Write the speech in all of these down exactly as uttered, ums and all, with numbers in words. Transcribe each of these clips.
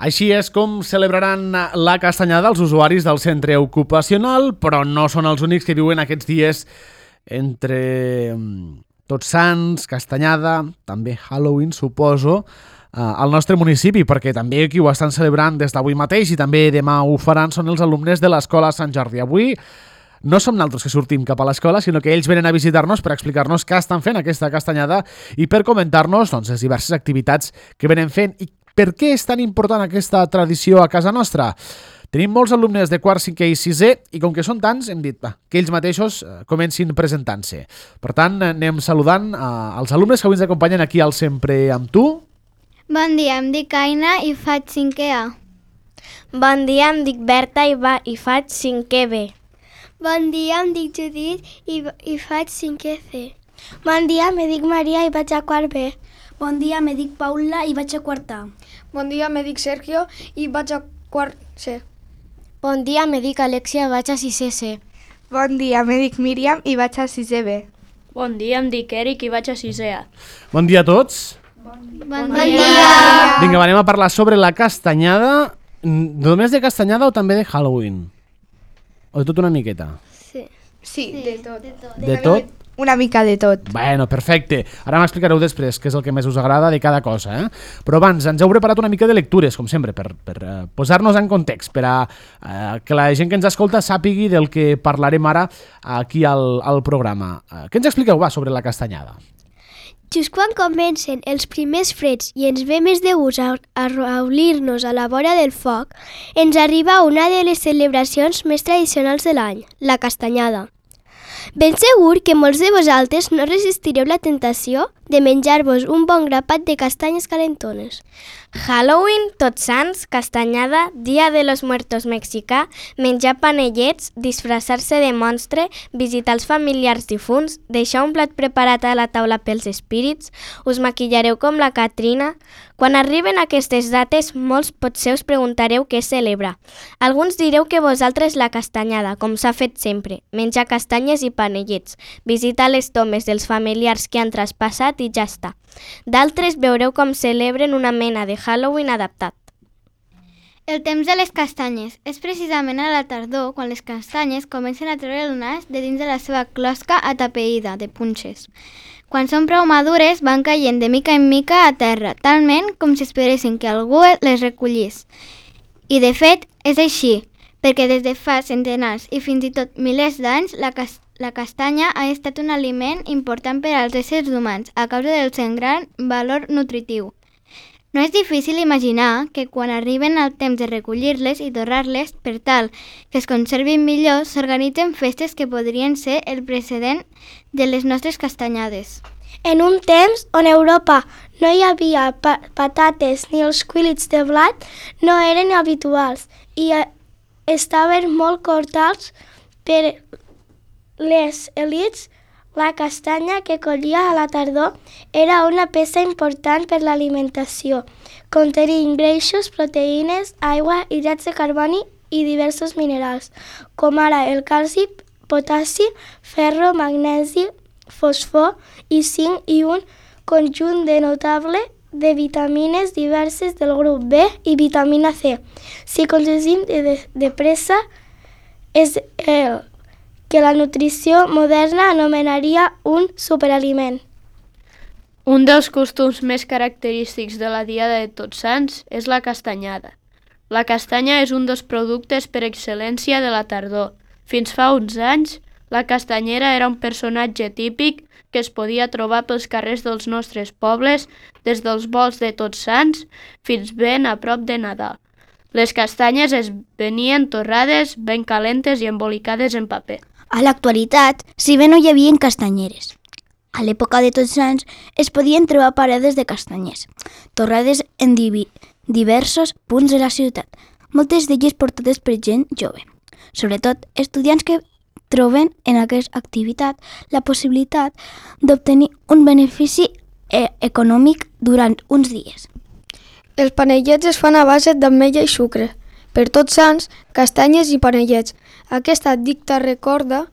Així és com celebraran la castanyada els usuaris del centre ocupacional, però no són els únics que viuen aquests dies entre Tots Sants, castanyada, també Halloween, suposo, al nostre municipi, perquè també qui ho estan celebrant des d'avui mateix i també demà ho faran són els alumnes de l'Escola Sant Jordi. Avui no som nosaltres que sortim cap a l'escola, sinó que ells venen a visitar-nos per explicar-nos què estan fent aquesta castanyada i per comentar-nos doncs, les diverses activitats que venen fent i per què és tan important aquesta tradició a casa nostra. Tenim molts alumnes de quart, cinquè i sisè i com que són tants hem dit va, que ells mateixos comencin presentant-se. Per tant, anem saludant als alumnes que avui ens acompanyen aquí al Sempre amb tu. Bon dia, em dic Aina i faig cinquè A. Bon dia, em dic Berta i, va, i faig cinquè B. Bon dia, em dic Judit i, i faig cinquè C. Bon dia, me dic Maria i vaig a quart B. Bon dia, me dic Paula i vaig a quart A. Bon dia, me dic Sergio i vaig a quart C. Bon dia, me dic Alexia i vaig a sisè C. Bon dia, me dic Míriam i vaig a sisè B. Bon dia, em dic Eric i vaig a sisè A. Bon dia a tots. Bon, bon, bon dia. dia. Vinga, anem a parlar sobre la castanyada. Només de castanyada o també de Halloween? O de tot una miqueta? Sí. Sí, sí de tot. De tot? De tot? Una mica de tot. Bueno, perfecte. Ara m'explicareu després què és el que més us agrada de cada cosa. Eh? Però abans ens heu preparat una mica de lectures, com sempre, per, per uh, posar-nos en context, per a uh, que la gent que ens escolta sàpigui del que parlarem ara aquí al, al programa. Uh, què ens expliqueu, va, sobre la castanyada? Just quan comencen els primers freds i ens ve més de gust a, a reunir-nos a la vora del foc, ens arriba una de les celebracions més tradicionals de l'any, la castanyada. Ben segur que molts de vosaltres no resistireu la tentació de menjar-vos un bon grapat de castanyes calentones. Halloween, Tots Sants, castanyada, Dia de los Muertos mexicà, menjar panellets, disfressar-se de monstre, visitar els familiars difunts, deixar un plat preparat a la taula pels espírits, us maquillareu com la Catrina. Quan arriben aquestes dates, molts potser us preguntareu què celebra. Alguns direu que vosaltres la castanyada, com s'ha fet sempre, menjar castanyes i panellets, visitar les tombes dels familiars que han traspassat i ja està. D'altres veureu com celebren una mena de Halloween adaptat. El temps de les castanyes és precisament a la tardor quan les castanyes comencen a treure el nas de dins de la seva closca atapeïda de punxes. Quan són prou madures van caient de mica en mica a terra, talment com si esperessin que algú les recollís. I de fet és així, perquè des de fa centenars i fins i tot milers d'anys la castanya La castanya ha estat un aliment important per als éssers humans a causa del seu gran valor nutritiu. No és difícil imaginar que quan arriben el temps de recollir-les i torrar-les, per tal que es conservin millor, s'organitzen festes que podrien ser el precedent de les nostres castanyades. En un temps on a Europa no hi havia pa patates ni els cuilits de blat, no eren habituals i estaven molt cortats per les elits. La castanya que collia a la tardor era una peça important per l'alimentació, contenint greixos, proteïnes, aigua, hidrats de carboni i diversos minerals, com ara el calci, potassi, ferro, magnesi, fosfor i zinc i un conjunt de notable de vitamines diverses del grup B i vitamina C. Si consumim de, de, de pressa, és el que la nutrició moderna anomenaria un superaliment. Un dels costums més característics de la Diada de Tots Sants és la castanyada. La castanya és un dels productes per excel·lència de la tardor. Fins fa uns anys, la castanyera era un personatge típic que es podia trobar pels carrers dels nostres pobles des dels volts de Tots Sants fins ben a prop de Nadal. Les castanyes es venien torrades, ben calentes i embolicades en paper. A l'actualitat, si bé no hi havia castanyeres, a l'època de Tots Sants es podien trobar parades de castanyes, torrades en divi diversos punts de la ciutat, moltes d'elles portades per gent jove, sobretot estudiants que troben en aquesta activitat la possibilitat d'obtenir un benefici e econòmic durant uns dies. Els panellets es fan a base d'ametlla i sucre. Per Tots Sants, castanyes i panellets. Aquesta dicta recorda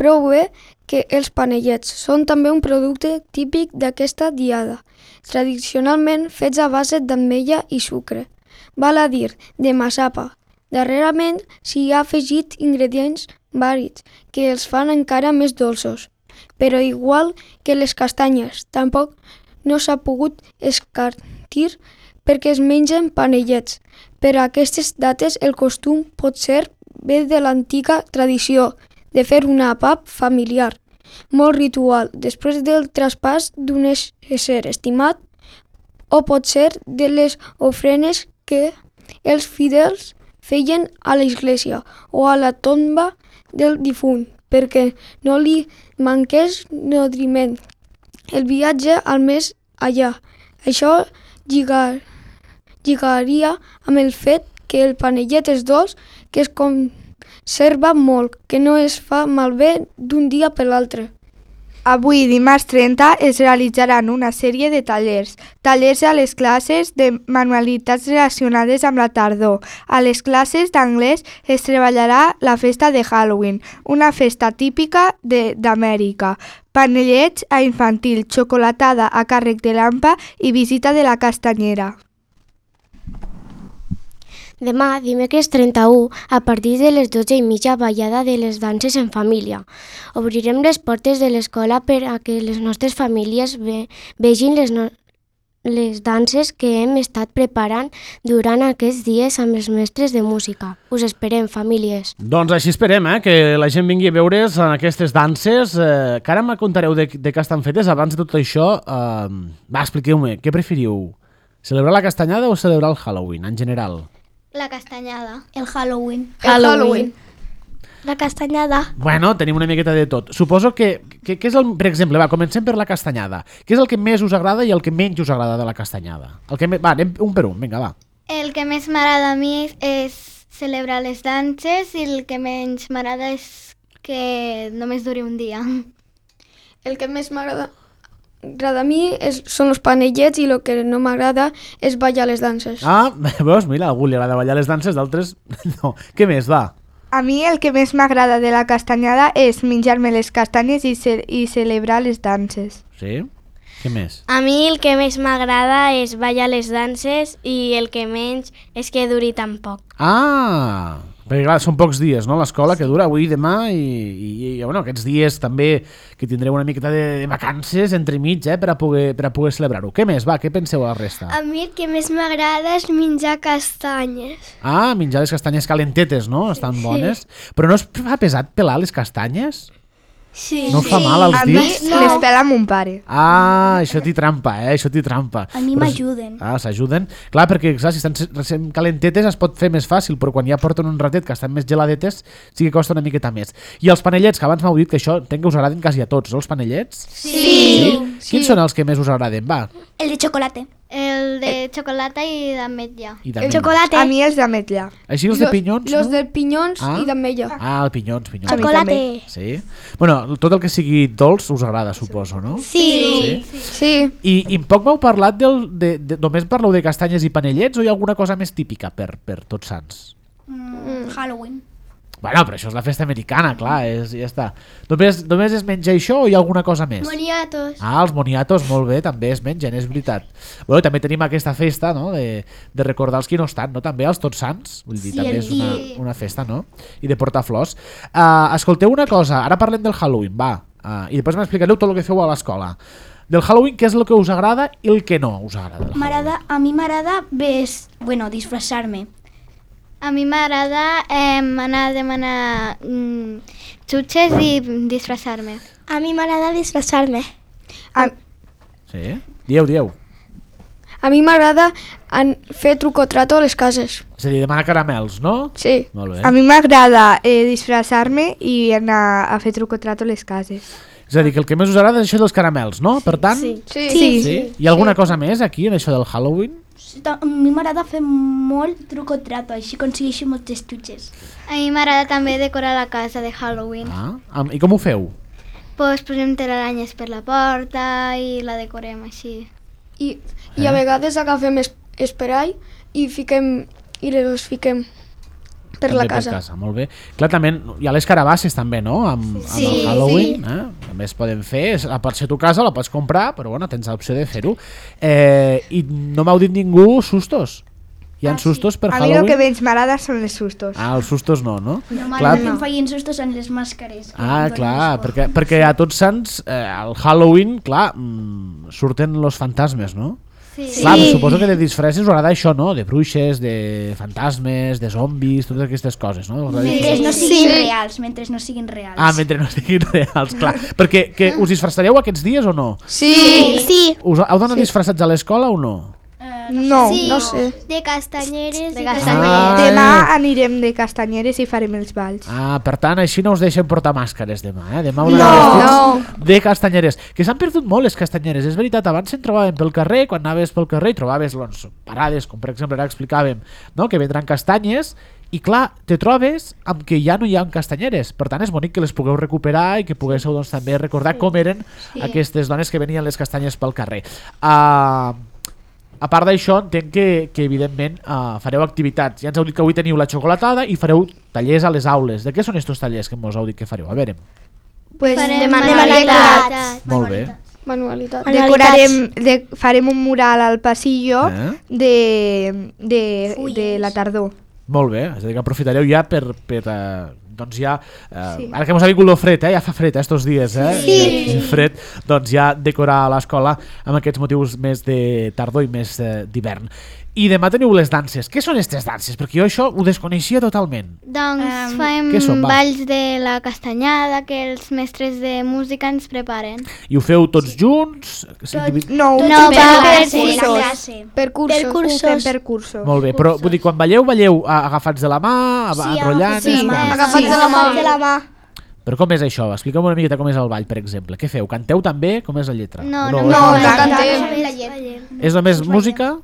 prou bé que els panellets són també un producte típic d'aquesta diada, tradicionalment fets a base d'ametlla i sucre. val a dir, de massapa. Darrerament s'hi ha afegit ingredients varis que els fan encara més dolços. Però igual que les castanyes, tampoc no s'ha pogut escartir perquè es mengen panellets. Per a aquestes dates el costum pot ser ve de l'antiga tradició de fer un àpat familiar, molt ritual, després del traspàs d'un ésser estimat, o pot ser de les ofrenes que els fidels feien a l'església o a la tomba del difunt, perquè no li manqués nodriment. El viatge al més allà. Això lligar, lligaria amb el fet que el panellet és dolç, que es conserva molt, que no es fa malbé d'un dia per l'altre. Avui, dimarts trenta, es realitzaran una sèrie de tallers. Tallers a les classes de manualitats relacionades amb la tardor. A les classes d'anglès es treballarà la festa de Halloween, una festa típica d'Amèrica. Panellets a infantil, xocolatada a càrrec de l'Ampa i visita de la castanyera. Demà, dimecres trenta-u, a partir de les dotze i mitja, ballada de les danses en família. Obrirem les portes de l'escola per a que les nostres famílies ve, vegin les, no, les danses que hem estat preparant durant aquests dies amb els mestres de música. Us esperem, famílies. Doncs així esperem, eh, que la gent vingui a veure's en aquestes danses, eh, que ara me contareu de, de què estan fetes. Abans de tot això, eh, va, expliqueu-me, què preferiu? Celebrar la castanyada o celebrar el Halloween, en general? La castanyada. El Halloween. El Halloween. La castanyada. Bueno, tenim una miqueta de tot. Suposo que, que, que és el, per exemple, va, comencem per la castanyada. Què és el que més us agrada i el que menys us agrada de la castanyada? El que me... Va, anem un per un, vinga, va. El que més m'agrada a mi és, és celebrar les danses i el que menys m'agrada és que només duri un dia. El que més m'agrada agrada a mi és, són els panellets i el que no m'agrada és ballar les danses. Ah, veus, mira, a algú li agrada ballar les danses, d'altres no. Què més, va? A mi el que més m'agrada de la castanyada és menjar-me les castanyes i, ce i celebrar les danses. Sí? Què més? A mi el que més m'agrada és ballar les danses i el que menys és que duri tan poc. Ah, perquè clar, són pocs dies, no?, l'escola, que dura avui i demà i, i, i bueno, aquests dies també que tindreu una miqueta de, de vacances entremig, eh, per a poder, per a poder celebrar-ho. Què més, va, què penseu a la resta? A mi el que més m'agrada és menjar castanyes. Ah, menjar les castanyes calentetes, no? Estan bones. Però no es fa pesat pelar les castanyes? Sí. No us fa mal als A mi dits? les pela mon pare. Ah, això t'hi trampa, eh? Això t'hi trampa. A mi Però- m'ajuden. Ah, s'ajuden. Clar, perquè clar, si estan recent calentetes es pot fer més fàcil, però quan ja porten un ratet que estan més geladetes sí que costa una miqueta més. I els panellets, que abans m'heu dit que això entenc que us agraden quasi a tots, els panellets? Sí. Sí? Quins són els que més us agraden? Va. El de xocolate. El de xocolata i d'ametlla. I El també. xocolate. A mi els d'ametlla. Així els de pinyons, Los no? de pinyons Ah. i d'ametlla. Ah, el pinyons, pinyons. A mi també. Sí? Bueno, tot el que sigui dolç us agrada, suposo, no? Sí. Sí. Sí. I, i poc m'heu parlat del... De, de, només parleu de castanyes i panellets o hi ha alguna cosa més típica per, per Tots Sants? Mm, Halloween. Bueno, però això és la festa americana, clar, és, ja està. Només, només es menja això o hi ha alguna cosa més? Moniatos. Ah, els moniatos, molt bé, també es mengen, és veritat. Bueno, també tenim aquesta festa, no?, de, de recordar els qui no estan, no?, també els Tots Sants, vull dir, Sí, també el- és una, i- una festa, no?, i de portar flors. Uh, escolteu una cosa, ara parlem del Halloween, va, uh, i després m'explicareu tot el que feu a l'escola. Del Halloween, què és el que us agrada i el que no us agrada? del M'agrada, a mi m'agrada ves, bueno, disfressar-me. A mi m'agrada eh, anar a demanar mm, xutxes i disfressar-me. A mi m'agrada disfressar-me. A, Sí? Dieu, dieu. A mi m'agrada en- fer truc o trato a les cases. És a dir, demanar caramels, no? Sí. Molt bé. a mi m'agrada eh, disfressar-me i anar a fer truc o trato a les cases. És a dir, que el que més us agrada és això dels caramels, no? Per tant, Sí. Sí. sí? Hi ha alguna cosa més aquí en això del Halloween? A mi m'agrada fer molt truc o trato, així aconsegueixo moltes xutxes. A mi m'agrada també decorar la casa de Halloween. Ah, am- i com ho feu? Pues posem telaranyes per la porta i la decorem així. I, i a vegades agafem es, esperall i fiquem i les fiquem per També la casa. Per casa, molt bé. Clar, també hi ha les carabasses també, no? Amb, Sí, amb el Halloween, eh? També es poden fer, la pots fer a tu casa, la pots comprar, però bueno, tens l'opció de fer-ho. Eh, I no m'heu dit ningú sustos? Hi ha Ah, sí. sustos per A mi el Halloween? que menys m'agrada són els sustos. Ah, els sustos no, no? Normalment em feien sustos en les màscares. que Ah, em donen clar, més por. perquè, perquè a Tots Sants, eh, al Halloween, clar, mm, surten los fantasmes, no? Sí. Clar, suposo que de disfresses us agrada això, no? De bruixes, de fantasmes, de zombis, totes aquestes coses, no? Us agrada Mentre això? no siguin reals, mentre no siguin reals. Ah, mentre no siguin reals, clar. Perquè que us disfressareu aquests dies o no? Sí. Sí. Us heu d'anar disfressats a l'escola o no? No. Sí. No sé. De castanyeres. De i castanyeres. Ah, Demà anirem de castanyeres i farem els balls. Ah, per tant, així no us deixen portar màscares demà, eh? Demà us No. vestits de castanyeres. Que s'han perdut molt les castanyeres, és veritat. Abans se'n trobaven pel carrer, quan anaves pel carrer i trobaves doncs, parades, com per exemple ara explicàvem, no? Que vendran castanyes i clar, te trobes amb que ja no hi ha castanyeres. Per tant, és bonic que les pugueu recuperar i que poguéssiu doncs, també recordar com eren aquestes dones que venien les castanyes pel carrer. Uh, a part d'això, entenc que, que evidentment uh, fareu activitats. Ja ens heu dit que avui teniu la xocolatada i fareu tallers a les aules. De què són estos tallers que mos heu dit que fareu? A veure, Pues Farem De manualitats. manualitats. molt bé. Manualitat. decorarem, de, farem un mural al passillo Eh? de, de, de la tardor. Molt bé, és a dir, que aprofitareu ja per, per uh, doncs ja, uh, Sí. ara que mos ha vingut lo fred, eh? Ja fa fred eh, estos dies, eh? Sí. Fred, doncs ja decorar l'escola amb aquests motius més de tardor i més eh, d'hivern. I demà teniu les danses. Què són aquestes danses? Perquè jo això ho desconeixia totalment. Doncs Em, fem què són, va? balls de la castanyada que els mestres de música ens preparen. I ho feu tots junts? Tot... No, No, per, va, per sí, cursos. classe. Per cursos. Per cursos. Ho fem per cursos. Molt bé, però vull dir, quan balleu, balleu a- agafats de la mà, Sí, enrotllant... agafats de la mà. Agafats de la mà. De la mà. Però com és això? Explica'm una miqueta com és el ball, per exemple. Què feu? Canteu també? Com és la lletra? No, O no, és no, només- no cantem. La llet. És només música?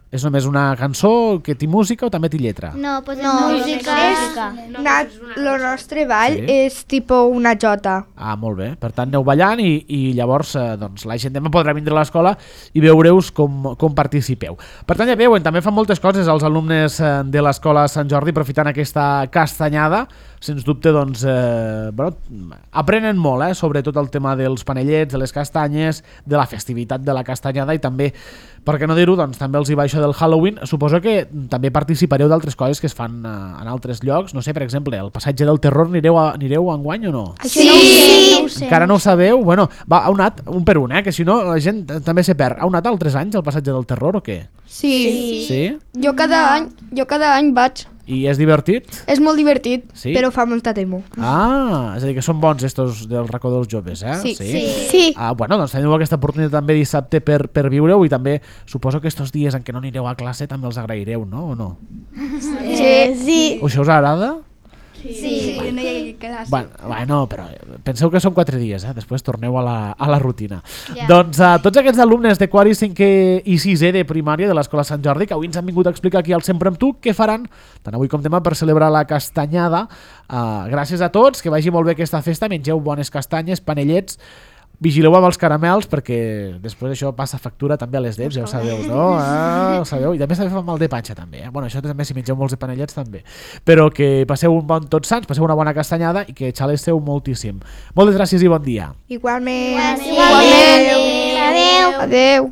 És només una cançó que té música o també té lletra? No, posem No, música. Nat, lo nostre ball Sí. és tipo una jota. Ah, molt bé. Per tant, aneu ballant i, i llavors eh, doncs, la gent demà podrà vindre a l'escola i veure-us com, com participeu. Per tant, ja veuen, també fan moltes coses els alumnes eh, de l'escola Sant Jordi aprofitant aquesta castanyada. Sens dubte, doncs, eh, bueno, aprenen molt eh, sobre tot el tema dels panellets, de les castanyes, de la festivitat de la castanyada i també, per què no dir-ho, doncs, també els hi va això del Halloween. Suposo que també participareu d'altres coses que es fan eh, en altres llocs. No sé, per exemple, el passatge del terror anireu, a, anireu enguany o no? Sí. No ho sé. Encara no ho sabeu? Bueno, va, heu anat un per un, eh? Que si no la gent també se perd. Heu anat altres anys al passatge del terror o què? Sí. Sí? Jo cada any, jo cada any vaig. I és divertit? És molt divertit. Sí? Però fa molta temor. Ah, és a dir, que són bons estos del racó dels joves, eh? Sí. Sí. Sí. Ah, bueno, doncs teniu aquesta oportunitat també dissabte per, per viure-ho i també suposo que estos dies en què no anireu a classe també els agraireu, no? O no? Sí. Sí. O això us agrada? Sí. No hi ha classe. Bueno, bueno, però penseu que són quatre dies, eh? Després torneu a la, a la rutina. Ja. Doncs a tots aquests alumnes de quart i cinquè i sisè de primària de l'Escola Sant Jordi que avui ens han vingut a explicar aquí al Sempre amb tu què faran tant avui com demà per celebrar la castanyada. Uh, gràcies a tots, que vagi molt bé aquesta festa, mengeu bones castanyes, panellets, vigileu amb els caramels perquè després això passa factura també a les dents, ja ho sabeu, no? Ah, ho sabeu. I també s'ha de fer mal de panxa també, eh? Bueno, això també si mengeu molts de panellets també. Però que passeu un bon Tots Sants, passeu una bona castanyada i que xalesteu moltíssim. Moltes gràcies i bon dia. Igualment. Igualment. Adéu. Adeu.